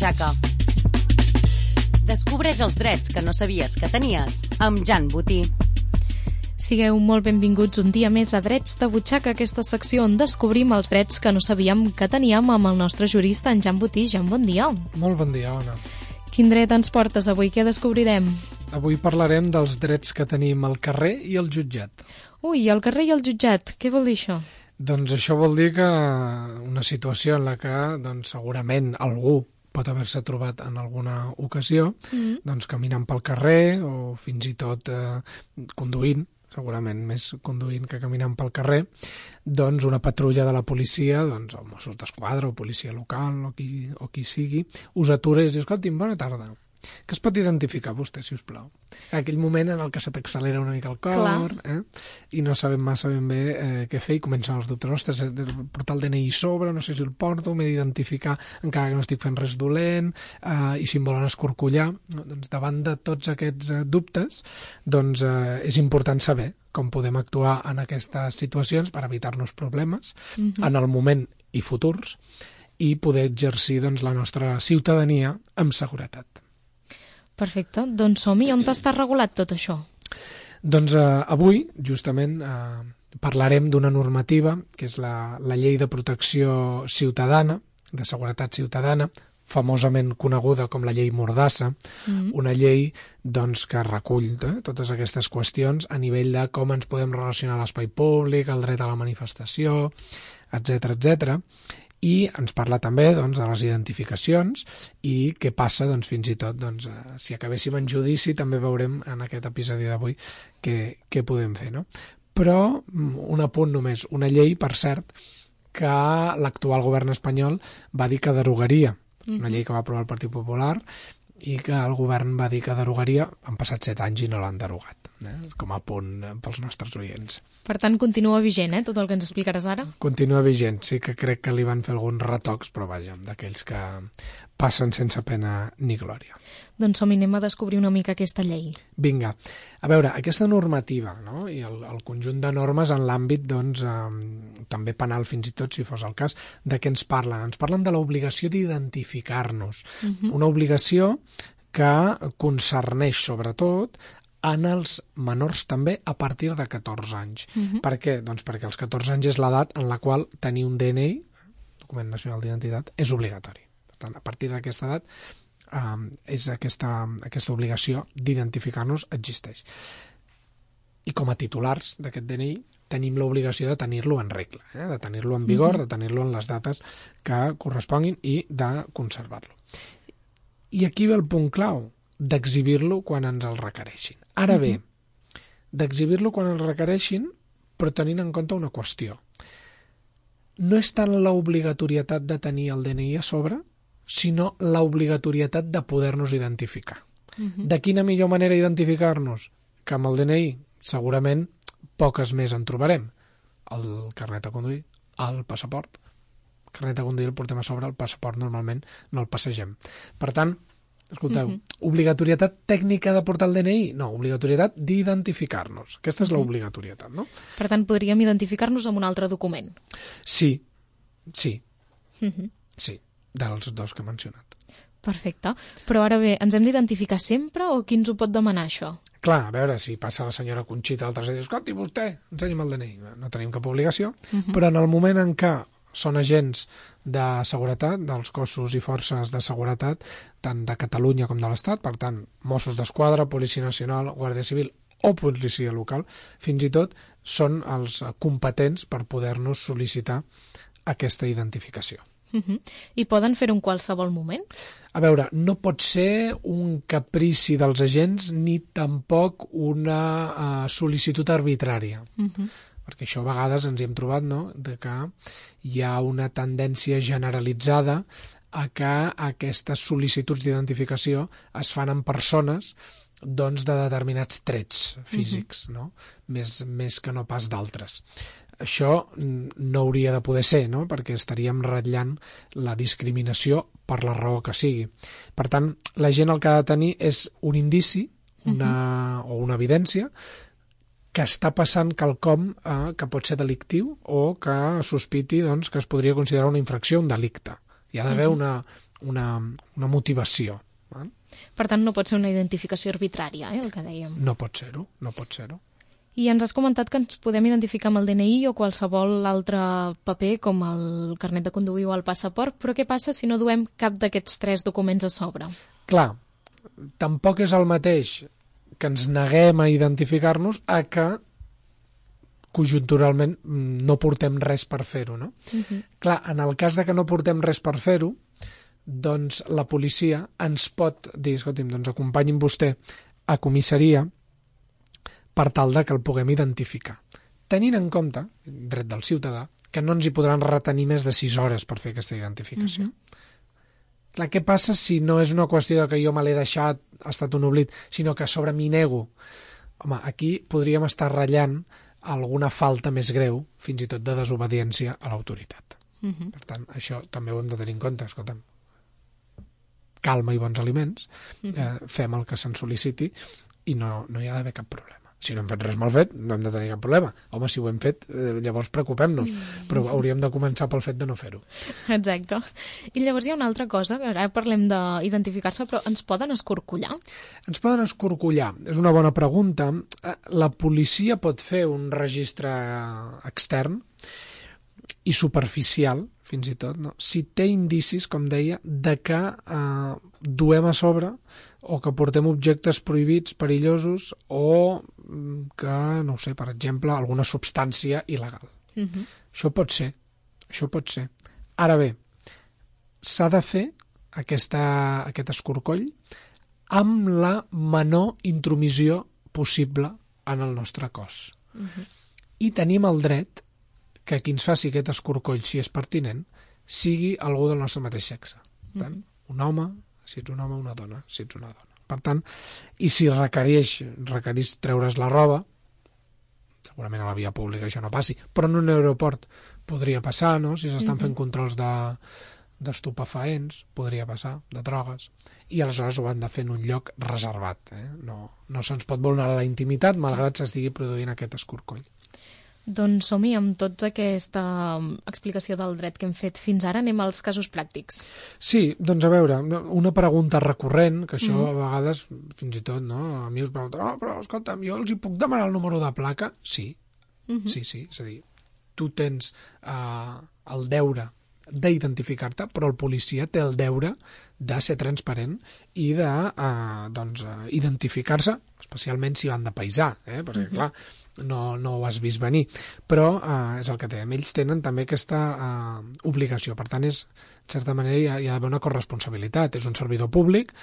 butxaca. Descobreix els drets que no sabies que tenies amb Jan Botí. Sigueu molt benvinguts un dia més a Drets de Butxaca, aquesta secció on descobrim els drets que no sabíem que teníem amb el nostre jurista, en Jan Botí. Jan, bon dia. Molt bon dia, Ona. Quin dret ens portes avui? Què descobrirem? Avui parlarem dels drets que tenim al carrer i al jutjat. Ui, al carrer i al jutjat, què vol dir això? Doncs això vol dir que una situació en la que segurament algú pot haver-se trobat en alguna ocasió, caminant pel carrer o fins i tot conduint, segurament més conduint que caminant pel carrer, doncs una patrulla de la policia, doncs els Mossos d'Esquadra o policia local o qui sigui, us atura i us diu, escolti'm, bona tarda. Que es pot identificar vostè, si us plau? Aquell moment en el que se t'accelera una mica el cor, i no sabem massa ben bé què fer i comencen els dubtes. Ostres, portar el DNI sobre, no sé si el porto, m'he d'identificar encara que no estic fent res dolent, i si em volen escorcollar. Doncs davant de tots aquests dubtes, és important saber com podem actuar en aquestes situacions per evitar-nos problemes en el moment i futurs i poder exercir la nostra ciutadania amb seguretat. Perfecte, doncs som-hi. On està regulat tot això? Doncs avui, justament, parlarem d'una normativa, que és la Llei de Protecció Ciutadana, de Seguretat Ciutadana, famosament coneguda com la Llei Mordassa, una llei que recull totes aquestes qüestions a nivell de com ens podem relacionar a l'espai públic, el dret a la manifestació, etc etc. I ens parla també de les identificacions i què passa fins i tot si acabéssim en judici, també veurem en aquest episodi d'avui què podem fer, no? Però un apunt només, una llei, per cert, que l'actual govern espanyol va dir que derogaria, una llei que va aprovar el Partit Popular i que el govern va dir que derogaria. Han passat 7 anys i no l'han derogat, com a punt pels nostres oients. Per tant, continua vigent, tot el que ens explicaràs ara? Continua vigent, sí que crec que li van fer alguns retocs, però vaja, d'aquells que passen sense pena ni glòria. Doncs som-hi, anem a descobrir una mica aquesta llei. Vinga, a veure, aquesta normativa, no? I el conjunt de normes en l'àmbit, també penal fins i tot, si fos el cas, de què ens parlen? Ens parlen de l'obligació d'identificar-nos, una obligació que concerneix sobretot en els menors també a partir de 14 anys. Per què? Doncs perquè als 14 anys és l'edat en la qual tenir un DNI, document nacional d'identitat, és obligatori. Per tant, a partir d'aquesta edat és aquesta obligació d'identificar-nos existeix. I com a titulars d'aquest DNI tenim l'obligació de tenir-lo en regla, de tenir-lo en vigor, de tenir-lo en les dates que corresponguin i de conservar-lo. I aquí ve el punt clau, d'exhibir-lo quan ens el requereixin. Ara bé, d'exhibir-lo quan el requereixin, però tenint en compte una qüestió. No és tant l'obligatorietat de tenir el DNI a sobre, sinó l'obligatorietat de poder-nos identificar. De quina millor manera identificar-nos? Que amb el DNI segurament poques més en trobarem. El carnet de conduir, el passaport. El carnet de conduir el portem a sobre, el passaport normalment no el passegem. Per tant, escolteu, obligatorietat tècnica de portar el DNI? No, obligatorietat d'identificar-nos. Aquesta és l'obligatorietat, no? Per tant, podríem identificar-nos amb un altre document. Sí, dels dos que he mencionat. Perfecte. Però ara bé, ens hem d'identificar sempre o qui ens ho pot demanar, això? Clar, a veure, si passa la senyora Conxita al tercer i diu, escolti, vostè, ensenyi'm el DNI. No tenim cap obligació, però en el moment en què són agents de seguretat, dels cossos i forces de seguretat, tant de Catalunya com de l'Estat, per tant, Mossos d'Esquadra, Policia Nacional, Guàrdia Civil o policia local, fins i tot són els competents per poder-nos sol·licitar aquesta identificació. I poden fer-ho en qualsevol moment? A veure, no pot ser un caprici dels agents ni tampoc una sol·licitud arbitrària. Perquè això a vegades ens hi hem trobat, no?, de que hi ha una tendència generalitzada a que aquestes sol·licituds d'identificació es fan en persones de determinats trets físics, no? Més que no pas d'altres. Això no hauria de poder ser, no?, perquè estaríem ratllant la discriminació per la raó que sigui. Per tant, la gent el que ha de tenir és un indici o una evidència que està passant quelcom que pot ser delictiu o que sospiti que es podria considerar una infracció, un delicte. Hi ha d'haver una una motivació. Per tant, no pot ser una identificació arbitrària, el que dèiem. No pot ser-ho, no pot ser-ho. I ens has comentat que ens podem identificar amb el DNI o qualsevol altre paper, com el carnet de conduir o el passaport, però què passa si no duem cap d'aquests 3 documents a sobre? Clar, tampoc és el mateix que ens neguem a identificar-nos a que conjunturalment no portem res per fer-ho, no? Clar, en el cas de que no portem res per fer-ho, doncs la policia ens pot dir, escolti'm, doncs acompanyi'm vostè a comissaria per tal de que el puguem identificar. Tenint en compte, dret del ciutadà, que no ens hi podran retenir més de 6 hores per fer aquesta identificació. Clar, què passa si no és una qüestió de que jo me l'he deixat, ha estat un oblit, sinó que a sobre m'hi nego? Home, aquí podríem estar ratllant alguna falta més greu, fins i tot de desobediència a l'autoritat. Per tant, això també ho hem de tenir en compte. Escolta'm, calma i bons aliments, fem el que se'n sol·liciti i no hi ha d'haver cap problema. Si no hem fet res mal fet, no hem de tenir cap problema. Home, si ho hem fet, llavors preocupem-nos, però hauríem de començar pel fet de no fer-ho. Exacte. I llavors hi ha una altra cosa, ara parlem d'identificar-se, però ens poden escorcollar? Ens poden escorcollar. És una bona pregunta. La policia pot fer un registre extern i superficial, fins i tot, no? Si té indicis, com deia, de que duem a sobre o que portem objectes prohibits, perillosos, o que, no ho sé, per exemple, alguna substància il·legal. Això pot ser. Ara bé, s'ha de fer aquest escorcoll amb la menor intromissió possible en el nostre cos. I tenim el dret que qui ens faci aquest escorcoll, si és pertinent, sigui algú del nostre mateix sexe. Per tant, un home, si ets un home, una dona, si ets una dona. Per tant, i si requereix treure's la roba, segurament a la via pública això no passi, però en un aeroport podria passar, no? Si s'estan fent controls d'estupefaents, podria passar, de drogues, i aleshores ho han de fer en un lloc reservat. No se'ns pot vulnerar la intimitat, malgrat s'estigui produint aquest escorcoll. Doncs som-hi amb tota aquesta explicació del dret que hem fet fins ara. Anem als casos pràctics. Sí, doncs a veure, una pregunta recurrent, que això a vegades, fins i tot, no? A mi us pregunten, però escolta'm, jo els hi puc demanar el número de placa? Sí, sí, és a dir, tu tens el deure d'identificar-te, però el policia té el deure de ser transparent i de identificar-se, especialment si van de paisà, perquè clar, no ho has vist venir, però és el que dèiem, ells tenen també aquesta obligació, per tant en certa manera hi ha d'haver una corresponsabilitat, és un servidor públic,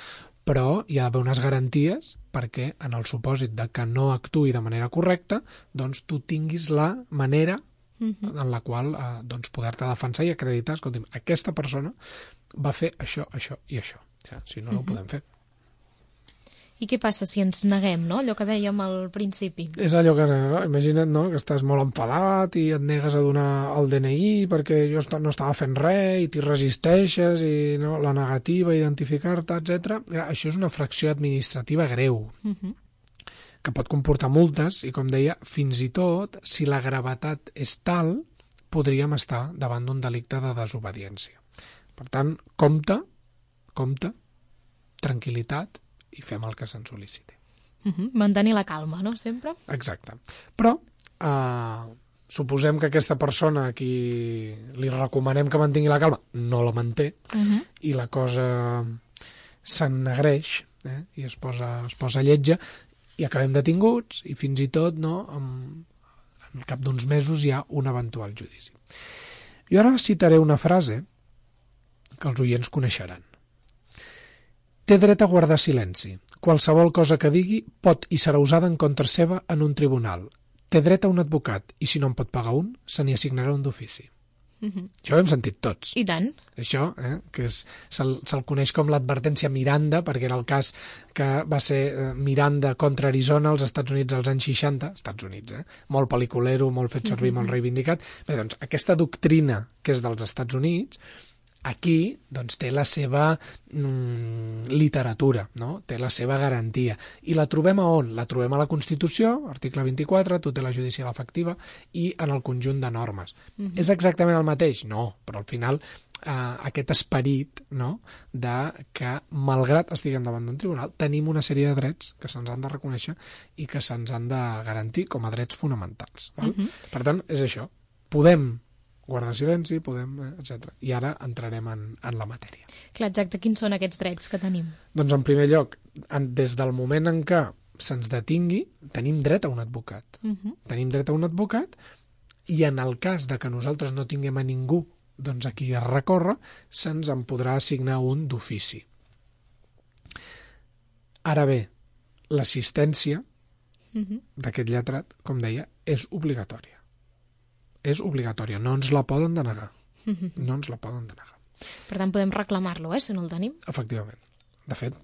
però hi ha d'haver unes garanties perquè en el supòsit de que no actuï de manera correcta, doncs tu tinguis la manera en la qual poder-te defensar i acreditar, escolti'm, aquesta persona va fer això, això i això. Si no, no ho podem fer. I què passa si ens neguem, no? Allò que dèiem al principi. És allò que, imagina't, no?, que estàs molt enfadat i et negues a donar el DNI perquè jo no estava fent res i t'hi resisteixes i la negativa, identificar-te, etc. Això és una fracció administrativa greu que pot comportar multes i, com deia, fins i tot, si la gravetat és tal, podríem estar davant d'un delicte de desobediència. Per tant, compte, tranquil·litat, i fem el que se'n sol·liciti. Mantenir la calma, no?, sempre? Exacte. Però suposem que aquesta persona a qui li recomanem que mantingui la calma no la manté i la cosa s'ennegreix i es posa lletja i acabem detinguts i fins i tot en cap d'uns mesos hi ha un eventual judici. Jo ara citaré una frase que els oients coneixeran. Té dret a guardar silenci. Qualsevol cosa que digui pot i serà usada en contra seva en un tribunal. Té dret a un advocat i si no en pot pagar un, se n'hi assignarà un d'ofici. Això ho hem sentit tots. I tant. Això, que se'l coneix com l'advertència Miranda, perquè era el cas que va ser Miranda contra Arizona als Estats Units als anys 60, Estats Units, molt pel·liculero, molt fet servir, molt reivindicat. Bé, doncs, aquesta doctrina que és dels Estats Units Aquí doncs, té la seva literatura, no? Té la seva garantia. I la trobem a on? La trobem a la Constitució, article 24, tutela judicial efectiva, i en el conjunt de normes. És exactament el mateix? No, però al final aquest esperit, no?, de que, malgrat estiguem davant d'un tribunal, tenim una sèrie de drets que se'ns han de reconèixer i que se'ns han de garantir com a drets fonamentals. Val? Per tant, és això. Podem guardar silenci, etc. I ara entrarem en la matèria. Clar, exacte. Quins són aquests drets que tenim? Doncs, en primer lloc, des del moment en què se'ns detingui, tenim dret a un advocat. Tenim dret a un advocat i en el cas de que nosaltres no tinguem a ningú doncs a qui es recorre, se'ns en podrà assignar un d'ofici. Ara bé, l'assistència d'aquest lletrat, com deia, és obligatòria. És obligatòria, no ens la poden denegar. No ens la poden denegar. Per tant, podem reclamar-lo, si no el tenim? Efectivament. De fet,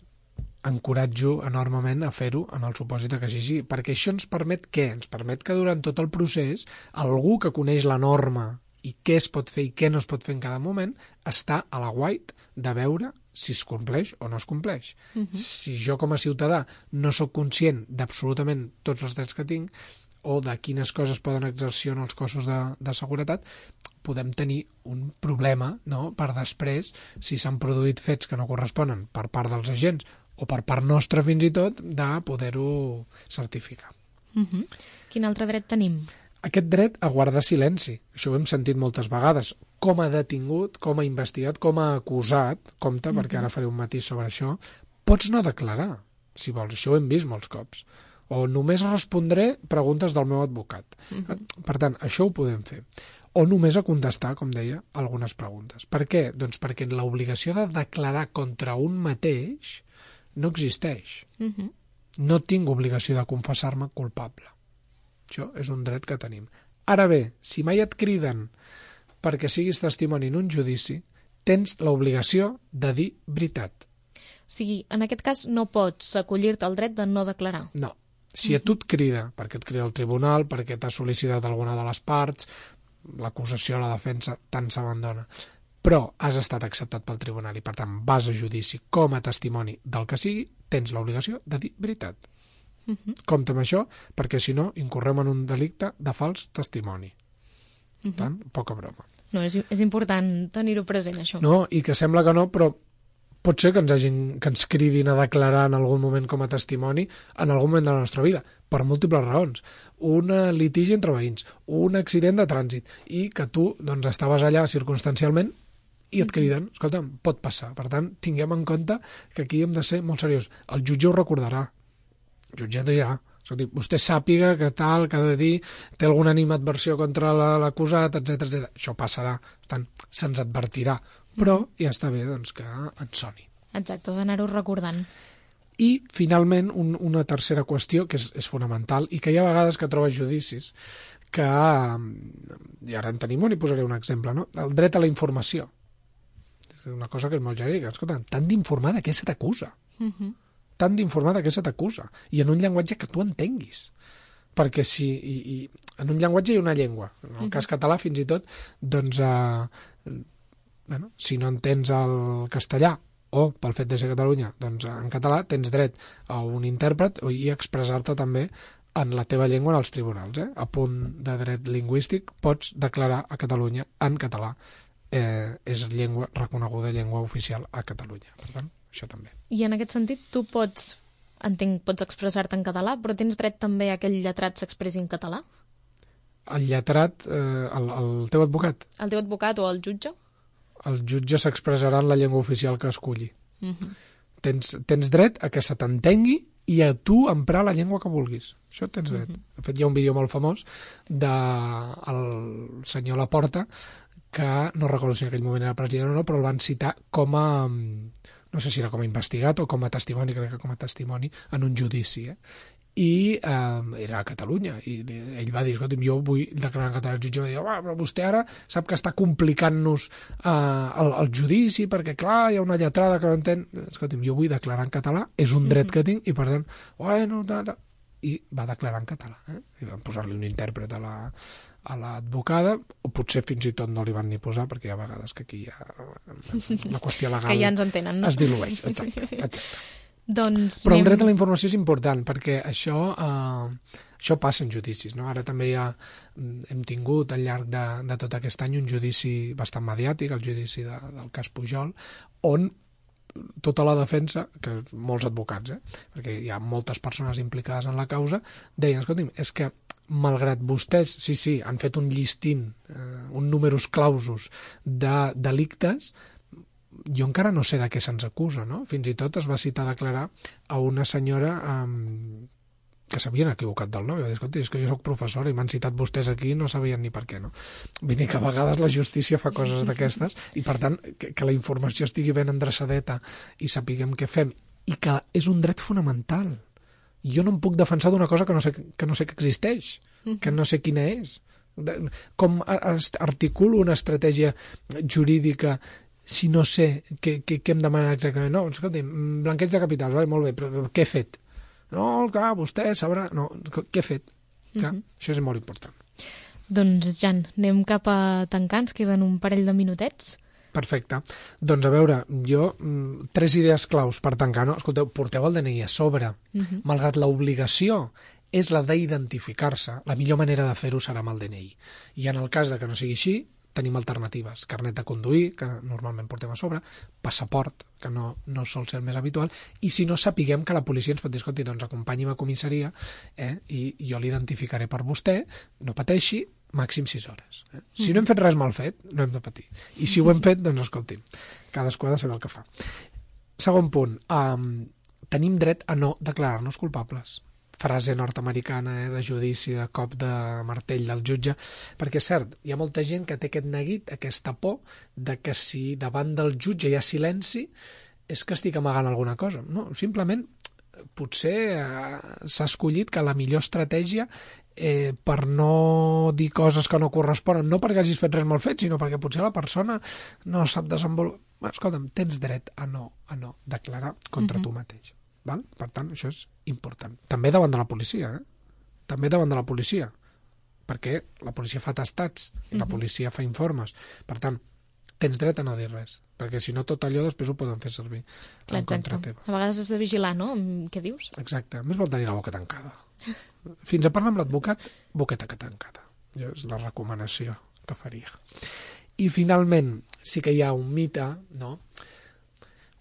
encoratjo enormement a fer-ho en el supòsit que sigui, perquè això ens permet què? Ens permet que durant tot el procés algú que coneix la norma i què es pot fer i què no es pot fer en cada moment està a la guait de veure si es compleix o no es compleix. Si jo com a ciutadà no sóc conscient d'absolutament tots els drets que tinc, o de quines coses poden exercir en els cossos de seguretat, podem tenir un problema, no?, per després, si s'han produït fets que no corresponen per part dels agents o per part nostra fins i tot, de poder-ho certificar. Quin altre dret tenim? Aquest dret a guardar silenci. Això ho hem sentit moltes vegades. Com a detingut, com a investigat, com a acusat, compte, perquè ara faré un matís sobre això, pots no declarar, si vols. Això ho hem vist molts cops. O només respondré preguntes del meu advocat. Per tant, això ho podem fer. O només a contestar, com deia, algunes preguntes. Per què? Doncs perquè l'obligació de declarar contra un mateix no existeix. No tinc obligació de confessar-me culpable. Això és un dret que tenim. Ara bé, si mai et criden perquè siguis testimoni en un judici, tens l'obligació de dir veritat. O sigui, en aquest cas no pots acollir-te al dret de no declarar. No. Si a tu et crida, perquè et crida el tribunal, perquè t'ha sol·licitat alguna de les parts, l'acusació, la defensa, tant s'abandona, però has estat acceptat pel tribunal i, per tant, vas a judici com a testimoni del que sigui, tens l'obligació de dir veritat. Compte amb això, perquè si no, incorrem en un delicte de fals testimoni. Per tant, poca broma. No, és important tenir-ho present, això. No, i que sembla que no, però pot ser que ens cridin a declarar en algun moment com a testimoni en algun moment de la nostra vida, per múltiples raons. Un litigi entre veïns, un accident de trànsit, i que tu doncs, estaves allà circumstancialment i et criden. Escolta, pot passar. Per tant, tinguem en compte que aquí hem de ser molt seriosos. El jutge ho recordarà. El jutge dirà, escolti, vostè sàpiga que tal, que ha de dir, té alguna animadversió contra l'acusat, etc. Això passarà. Per tant, se'ns advertirà. Però ja està bé doncs, que ens soni. Exacte, d'anar-ho recordant. I, finalment, una tercera qüestió que és fonamental i que hi ha vegades que trobes judicis que, i ara en tenim un i posaré un exemple, no? El dret a la informació. És una cosa que és molt genèrica. Escolta, t'han d'informar de què se t'acusa. T'han d'informar de què se t'acusa. I en un llenguatge que tu entenguis. Perquè si en un llenguatge hi ha una llengua. En el cas català, fins i tot, doncs, si no entens el castellà o pel fet de ser Catalunya, doncs en català tens dret a un intèrpret i expressar-te també en la teva llengua en els tribunals. A punt de dret lingüístic pots declarar a Catalunya en català. És llengua reconeguda, llengua oficial a Catalunya. Per tant, això també. I en aquest sentit tu pots expressar-te en català, però tens dret també a que el lletrat s'expressi en català? El lletrat, el teu advocat? El teu advocat o el jutge? El jutge s'expressarà en la llengua oficial que escolli. Tens dret a que se t'entengui i a tu emprar la llengua que vulguis. Això tens dret. De fet, hi ha un vídeo molt famós del senyor Laporta, que no recordo si en aquell moment era president o no, però el van citar com a, no sé si era com a investigat o com a testimoni, crec que com a testimoni, en un judici. I era a Catalunya, i ell va dir, escolta, jo vull declarar en català. El jutge va dir, però vostè ara sap que està complicant-nos el judici, perquè clar, hi ha una lletrada que no entén. Escolta, jo vull declarar en català, és un dret que tinc, i per tant, bueno, i va declarar en català. I van posar-li un intèrpret a l'advocada, o potser fins i tot no li van ni posar, perquè hi ha vegades que aquí la qüestió legal que ja ens entenen, no? es dilueix. Exacte. Doncs però el dret a la informació és important, perquè això passa en judicis, no? Ara també hem tingut al llarg de tot aquest any un judici bastant mediàtic, el judici del cas Pujol, on tota la defensa, que molts advocats, perquè hi ha moltes persones implicades en la causa, deien, escolti'm, és que malgrat vostès, sí, han fet un llistint, un numerus clausus de delictes, jo encara no sé de què se'ns acusa, no? Fins i tot es va citar a declarar a una senyora que s'havien equivocat del nom. Va dir, escolta, és que jo soc professora i m'han citat vostès aquí i no sabien ni per què, no? Vull dir que a vegades la justícia fa coses d'aquestes i, per tant, que la informació estigui ben endreçadeta i sapiguem què fem, i que és un dret fonamental. Jo no em puc defensar d'una cosa que no sé que existeix, que no sé quina és. Com articulo una estratègia jurídica si no sé què em demana exactament? No, escolti'm, blanqueig de capitals, vale, molt bé, però què he fet? No, clar, vostè sabrà... No, què he fet? Clar, això és molt important. Doncs, Jan, anem cap a tancar, ens queden un parell de minutets. Perfecte. Doncs a veure, jo, 3 idees claus per tancar, no? Escolteu, porteu el DNI a sobre. Malgrat l'obligació és la d'identificar-se, la millor manera de fer-ho serà amb el DNI. I en el cas de que no sigui així, tenim alternatives. Carnet de conduir, que normalment portem a sobre, passaport, que no sol ser el més habitual, i si no, sapiguem que la policia ens pot dir, escolti, doncs acompanyi'm a comissaria i jo l'identificaré per vostè, no pateixi, màxim 6 hores. Si no hem fet res mal fet, no hem de patir. I si ho hem fet, doncs escolti'm, cadascú ha de saber el que fa. Segon punt, tenim dret a no declarar-nos culpables. Frase nord-americana de judici, de cop de martell del jutge, perquè és cert, hi ha molta gent que té aquest neguit, aquesta por de que si davant del jutge hi ha silenci és que estic amagant alguna cosa. No, simplement potser s'ha escollit que la millor estratègia per no dir coses que no corresponen, no perquè hagis fet res mal fet, sinó perquè potser la persona no sap desenvolupar. Escolta'm, tens dret a no declarar contra tu mateix. Val? Per tant, això és important. També davant de la policia, També davant de la policia, perquè la policia fa atestats, la policia fa informes. Per tant, tens dret a no dir res, perquè si no tot allò després ho poden fer servir en contra teva. A vegades has de vigilar, no?, què dius? Exacte. Més vol tenir la boca tancada. Fins a parlar amb l'advocat, boqueta tancada. És la recomanació que faria. I finalment, sí que hi ha un mite, no?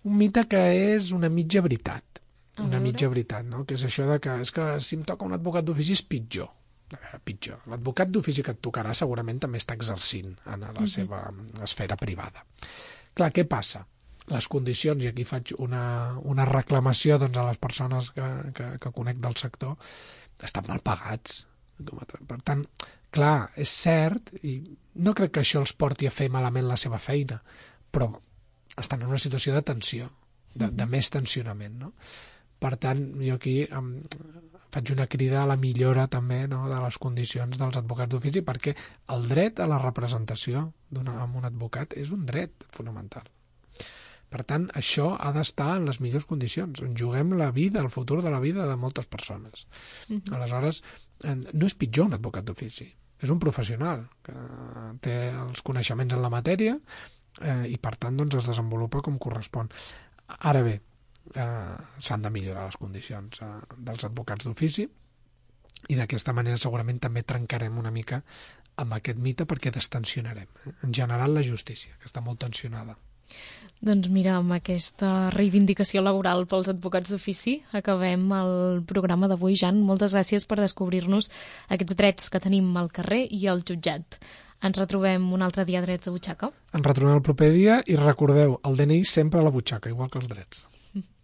Un mite que és una mitja veritat. Una mitja veritat, no? Que és això de que si em toca un advocat d'ofici és pitjor. A veure, pitjor. L'advocat d'ofici que et tocarà segurament també està exercint en la seva esfera privada. Clar, què passa? Les condicions, i aquí faig una reclamació doncs, a les persones que conec del sector, estan mal pagats. Per tant, clar, és cert, i no crec que això els porti a fer malament la seva feina, però estan en una situació de tensió, de més tensionament, no? Per tant, jo aquí faig una crida a la millora també, no, de les condicions dels advocats d'ofici, perquè el dret a la representació amb un advocat és un dret fonamental. Per tant, això ha d'estar en les millors condicions. Ens juguem la vida, el futur de la vida de moltes persones. Aleshores, no és pitjor un advocat d'ofici. És un professional que té els coneixements en la matèria i, per tant, doncs, es desenvolupa com correspon. Ara bé, s'han de millorar les condicions dels advocats d'ofici i d'aquesta manera segurament també trencarem una mica amb aquest mite perquè destensionarem en general la justícia, que està molt tensionada. Doncs mira, amb aquesta reivindicació laboral pels advocats d'ofici acabem el programa d'avui, Jan. Moltes gràcies per descobrir-nos aquests drets que tenim al carrer i al jutjat. Ens retrobem un altre dia a Drets a Butxaca. Ens retrobem el proper dia i recordeu, el DNI sempre a la butxaca, igual que els drets.